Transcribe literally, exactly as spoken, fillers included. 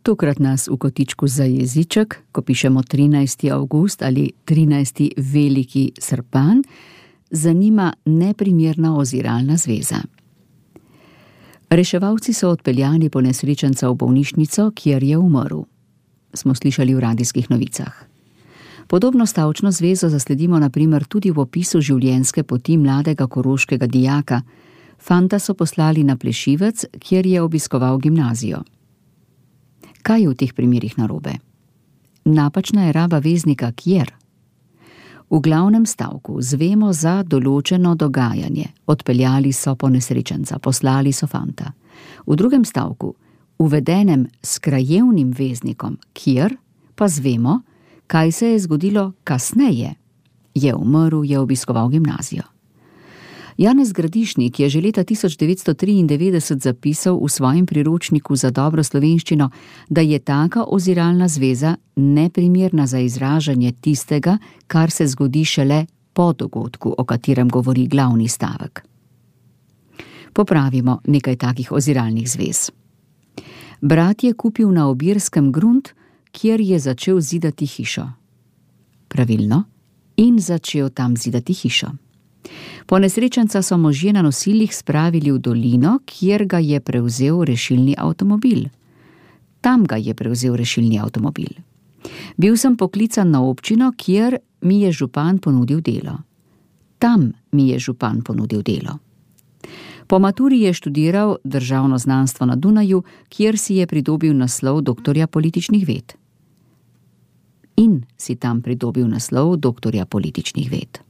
Tokrat nas v kotičku za jeziček, ko pišemo trinajsti avgust ali trinajsti veliki srpan, zanima neprimerna oziralna zveza. Reševalci so odpeljali ponesrečenca v bolnišnico, kjer je umrl. Smo slišali v radijskih novicah. Podobno stavčno zvezo zasledimo na primer tudi v opisu življenjske poti mladega koroškega dijaka. Fanta so poslali na Plešivec, kjer je obiskoval gimnazijo. Kaj je v teh primerih narobe? Napačna je raba veznika kjer. V glavnem stavku zvemo za določeno dogajanje. Odpeljali so ponesrečenca, poslali so fanta. V drugem stavku, uvedenem s krajevnim veznikom kjer, pa zvemo, kaj se je zgodilo kasneje. Je umrl, je obiskoval gimnazijo. Janez Gradišnik je že leta tisoč devetsto triindevetdeset zapisal v svojem priročniku za dobro slovenščino, da je taka oziralna zveza neprimerna za izražanje tistega, kar se zgodi šele po dogodku, o katerem govori glavni stavek. Popravimo nekaj takih oziralnih zvez. Brat je kupil na Obirskem grunt, kjer je začel zidati hišo. Pravilno, in začel tam zidati hišo. Ponesrečenca so možje na nosilih spravili v dolino, kjer ga je prevzel rešilni avtomobil. Tam ga je prevzel rešilni avtomobil. Bil sem poklican na občino, kjer mi je župan ponudil delo. Tam mi je župan ponudil delo. Po maturi je študiral državno znanstvo na Dunaju, kjer si je pridobil naslov doktorja političnih ved. In si tam pridobil naslov doktorja političnih ved.